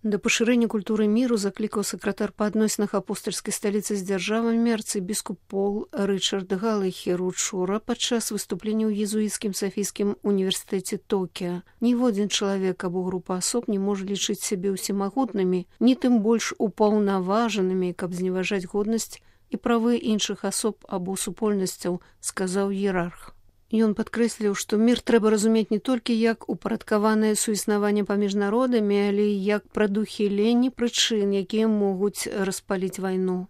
Да пашырэння культуры міру заклікаў сакратар па адносінах апостальскай сталіцы з дзяржавамі арцыбіскуп Пол Рычард Галахер учора падчас выступлення ў езуіцкім Сафійскім універсітэце Токіа. Ніводзін чалавек або група асоб не можа лічыць сябе ўсемагутнымі, ні тым больш упаўнаважанымі, каб зневажаць годнасць і правы іншых асоб або супольнасцяў, сказаў іерарх. Ён падкрэсліў, што мір трэба разумець не толькі як упарадкаванае суіснаванне паміж народамі, але і як прадухіленне прычын, якія могуць распаліць вайну.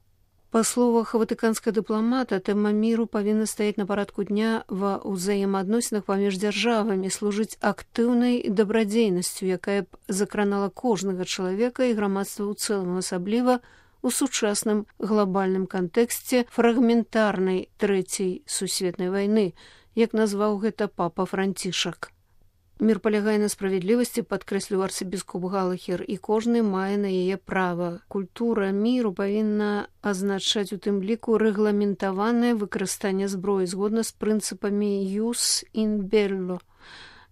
Па словах ватыканскага дыпламата, тэма міру павінна стаяць на парадку дня ва ўзаемаадносінах паміж дзяржавамі, служыць актыўнай дабрадзейнасцю, якая б закранала кожнага чалавека і грамадства ў цэлым, асабліва у сучасным глобальным кантэксце фрагментарнай трэцяй сусветнай вайны, як назваў гэта папа Францішак. Мір палягае на справядлівасці, падкрэсліў арцыбіскуп Галахер, і кожны мае на яе права. Культура міру павінна азначаць у тым ліку рэгламентаванае выкарыстанне зброі згодна з прынцыпамі «jus in bello»,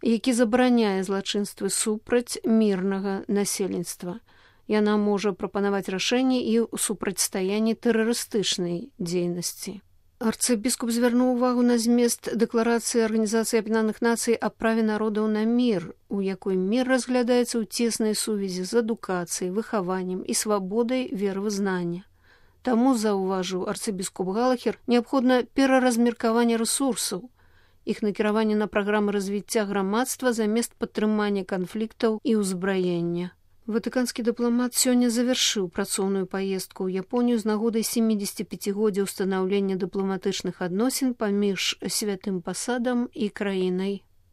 які забараняе злачынствы супраць мірнага насельніцтва. Яна можа прапанаваць рашэнні і ў супрацьстаянні тэрарыстычнай дзейнасці. Арцыбіскуп звярнуў увагу на змест дэкларацыі Арганізацыі Аб'яднаных Нацый аб праве народаў на мір, у якой мір разглядаецца ў цеснай сувязі з адукацыяй, выхаваннем і свабодай веравызнання. Таму, заўважыў арцыбіскуп Галахер, неабходна пераразмеркаванне рэсурсаў, іх накіраванне на праграмы развіцця грамадства замест падтрымання канфліктаў і ўзбраення. Ватыканскі дыпламат сёння завяршыў працоўную паездку ў Японію з нагодай 75-годдзя ўстанаўлення дыпламатычных адносін паміж святым пасадам і краінай